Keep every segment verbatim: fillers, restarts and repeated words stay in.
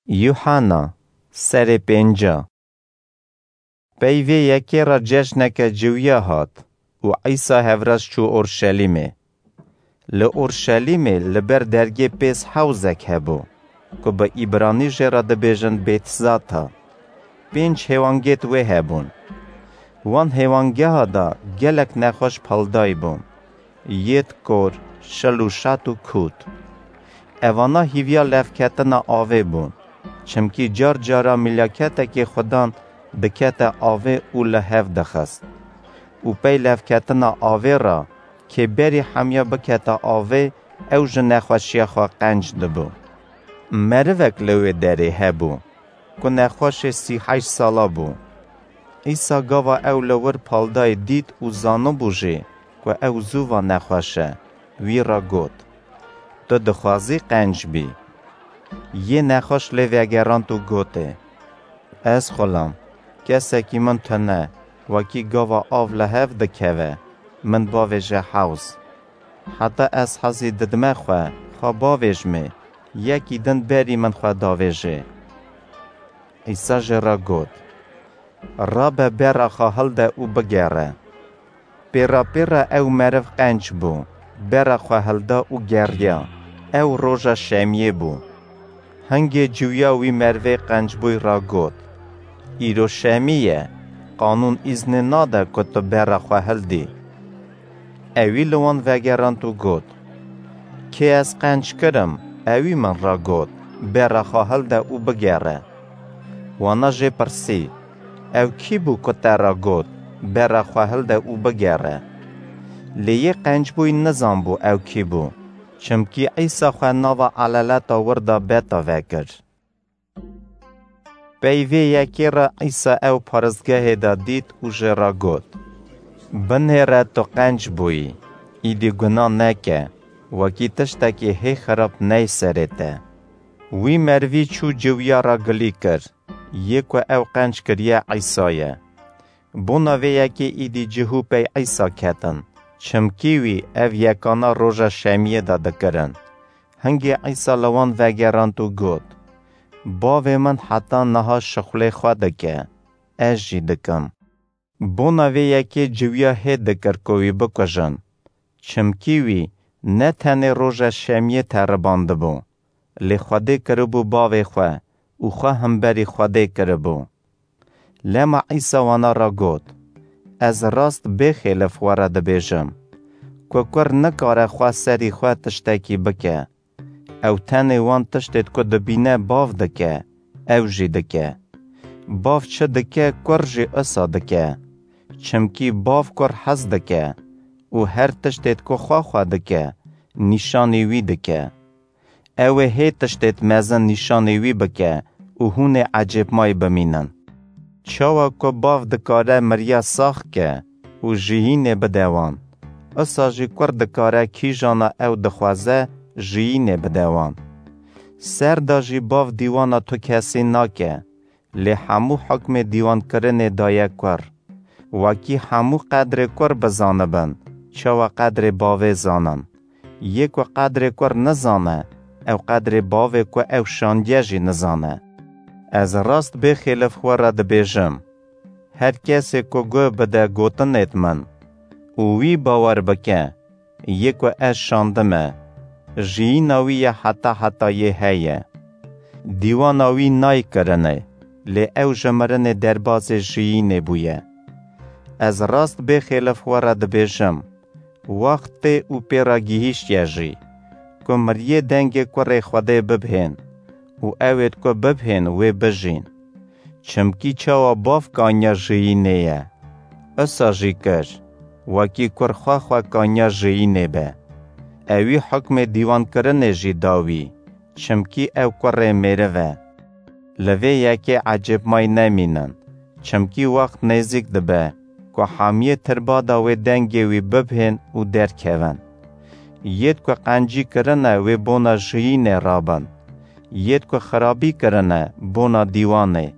Yuhanna, serê pênca. Pey vê yekê re cejneke ciwiya hat û Îsa hevraz çû Orşelîmê. Li Orşelîmê li ber dergê pêz hewzek hebû, ku bi îbranî jê re dibêjin Bêtzata. Pênc hêwangêt wê hebûn. Wan hêwangeha de gelek nexweş paldayî bûn. Yêt kor, şil û şat û kût. Evana hîviya levketina avê bûn, çimkî car cara milaketekê xudan dikete avê û li hev dixist. Û pey levketina avê re, kê berî hemiya bikete avê, ew ji nexweşiya xwe qenc dibû. Merivek li wê derê hebû, ku nexweşê sî heşt sala bû. Îsa gava ew li wir paldayê dît û zanibû jî, ku ew zû va nexweş e, wî re got: "Tu dixwazî qenc bî?" Yê nexweş lê vegerand û gotê: "Ez xulam, kesekî min tune, wekî gava av li hev dikeve, min bavêje hewz. Heta ez hezî didime xwe, xwe bavêjmê, yekî din berî min xwe davêjê." Îsa jê re got: "Rabe, bera xwe hilde û bigere." Pêra pêra ew meriv qenc bû, bera xwe hilda û geriya. Ew roja şemiyê bû. Hingê ciwiya wî merivê qencbûyî re got: "Îro şemî ye, qanûn îznê nade ku tu bera xwe hildî." Ewî li wan vegerand û got: "Kê ez qenc kirim, ewî min re got, bera xwe hilde û bigere." Wana jê pirsî: "Ew kî bû ku te re got, bera xwe hilde û bigere?" Lê yê qencbûyî nizanbû ew kî bû, çimkî Îsa xwe nava elaleta wir de beta vekir. Pey vê yekê re Îsa ew paristgehê de dît û jê re got: "Binêre tu qenc bûyî, îdî guna neke, wekî tiştekî hê xirab ney serê te." Wî merivî çû ciwiya re gilî kir, yê ku ew qenc kiriye Îsa ye. Bona vê yekê îdî cihû pey Îsa ketin, çimkî wî ev yekana roja şemiyê de dikirin. Hingê Îsa li wan vegerand û got: "Bavê min heta niha şixulê xwe dike, ez jî dikim." Bona vê yekê ciwiya hê dikir ku wî bikujin, çimkî wî ne tenê roja şemiyê teribandibû, lê Xwedê kiribû bavê xwe û xwe himberî Xwedê kiribû. Lema Îsa wana re got: "Ez rast bêxêlif we re dibêjim, ku kur nikare xwe serî xwe tiştekî bike. Ew tenê wan tiştêt ku dibîne bav dike, ew jî dike. Bav çi dike, kur jî isa dike. Çimkî bav kur hez dike û her tiştêt ku xwe xwe dike, nîşanî wî dike. Ew ê hê tiştêt mezin nîşanî wî bike û hûn ê ecêbmayî bimînin. Çawa ku bav dikare miriya sax ke û jiyînê bide wan, isa jî kur dikare kîjana ew dixwaze jiyînê bide wan. Ser de jî bav dîwana tu kesî nake, lê hemû hukmê dîwankirinê daye kur. Wekî hemû qedrê kur bizanibin, çawa qedrê bavê zanin. Yê ku qedrê kur nizane, ew qedrê bavê ku ew şandiye jî nizane. Ez rast bêxêlif xwe re dibêjim, her kesê ku guh bide gotinêt min û wî bawer bike, yê ku ez şandime, jiyîna wî ye heta hetayê heye. Dîwana wî nayê kirinê, lê ew ji mirinê derbazê jiyînê bûye. Ez rast bêxêlif xwe re dibêjim, wext tê û pê re gihîştiye jî, ku miriyê dengê kurê Xwedê bibhên û ewêt ku bibhên wê bijîn. Çimkî çawa bav kanya jiyînê ye, isa jî kir, wekî kur xwe xwe kanya jiyînê be. Ewî hukmê dîwankirinê jî da wî, çimkî ew kurê mêriv e. Li vê yekê ecêbmayî nemînin, çimkî wext nêzîk dibe ku hemiyê tirbada wê dengê wî bibhên û derkevin. Yêt ku qencî kirine wê bona jiyînê rabin. Yêt ku xirabî kirine bona dîwanê.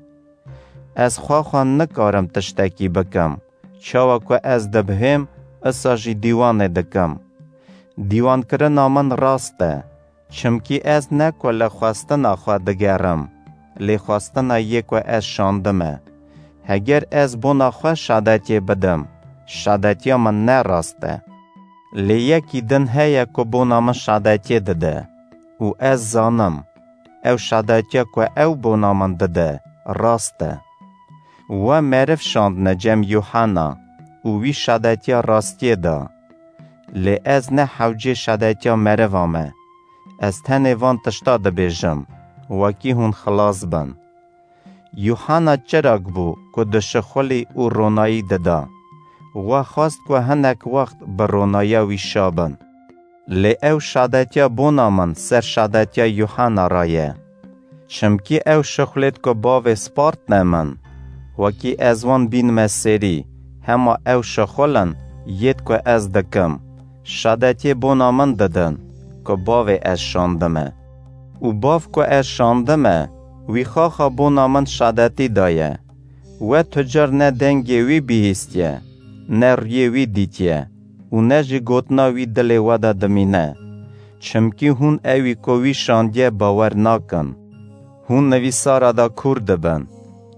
Ez xwe xwe nikarim tiştekî bikim, çawa ku ez dibihêm, isa jî dîwanê dikim. Dîwankirina min rast e, çimkî ez ne ku li xwestina xwe digerim, lê xwestina yê ku ez şandime. Heger ez bona xwe şadetiyê bidim, şadetiya min ne rast e. Lê yekî din heye ku bona min şadetiyê dide û ez zanim, ew şadetiya ku ew bona min dide, rast e. We meriv şandine cem Yuhana û wî şadetiya rastiyê da. Lê ez ne hewcê şadetiya meriva me. Ez tenê van tişta dibêjim, wekî hûn xilas bin. Yuhana çirag bû ku dişixulî û ronayî dida. We xwest ku hinek wext bi ronayiya wî şa bin. Lê ew şadetiya bona min ser şadetiya Yuhana re ye. Çimkî ew şixulêt ku bavê spartine min, wekî ez wan bînime serî, hema ew şixulin yêt ku ez dikim, şadetiyê bona min didin ku bavê ez şandime. Û bav ku ez şandime, wî xaxa bona min şadetî daye. We tu car ne dengê wî bihîstiye, ne riyê wî dîtiye û ne jî gotina wî dilê we de dimîne. Çimkî hûn ewî ku wî şandiye bawer nakin. Hûn nivîsara de kûr dibin.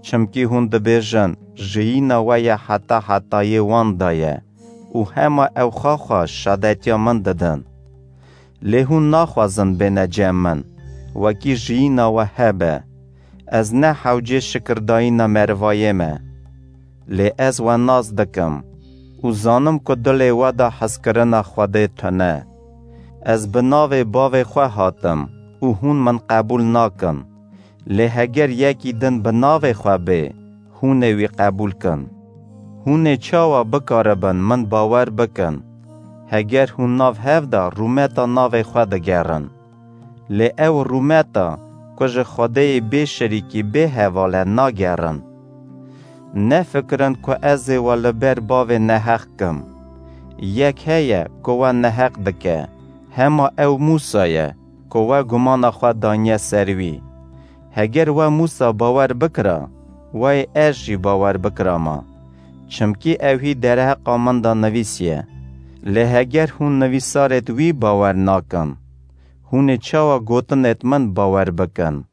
Çimkî hûn dibêjin, jiyîna we ye heta hetayê wan de ye û hema ew xaxa şadetiya min didin. Lê hûn naxwazin bêne cem min, wekî jiyîna we hebe. Ez ne hewcê şikirdayîna merivayê me. Lê ez we nas dikim û zanim ku dilê we de hezkirina Xwedê tune. Ez bi navê bavê xwe hatim û hûn min qebûl nakin. Lê heger yekî din bi navê xwe bê, hûn ê wî qebûl kin. Hûn ê çawa bikaribin min bawer bikin, heger hûn nav hev de rûmeta navê xwe digerin? Lê ew rûmeta ku ji Xwedêyê bê şirîkî bê heval e nagerin. Nefikirin ku ez ê we li ber bavê neheq kim. Yek heye ku we neheq dike, hema ew Mûsa ye ku we gumana xwe daniye ser wî. Heger we Mûsa bawer bikira, we yê ez jî bawer bikirama. Çimkî ew hî derheqa min de nivîsiye. Lê heger hûn nivîsarêt wî bawer nakin, hûn ê çawa gotinêt min bawer bikin?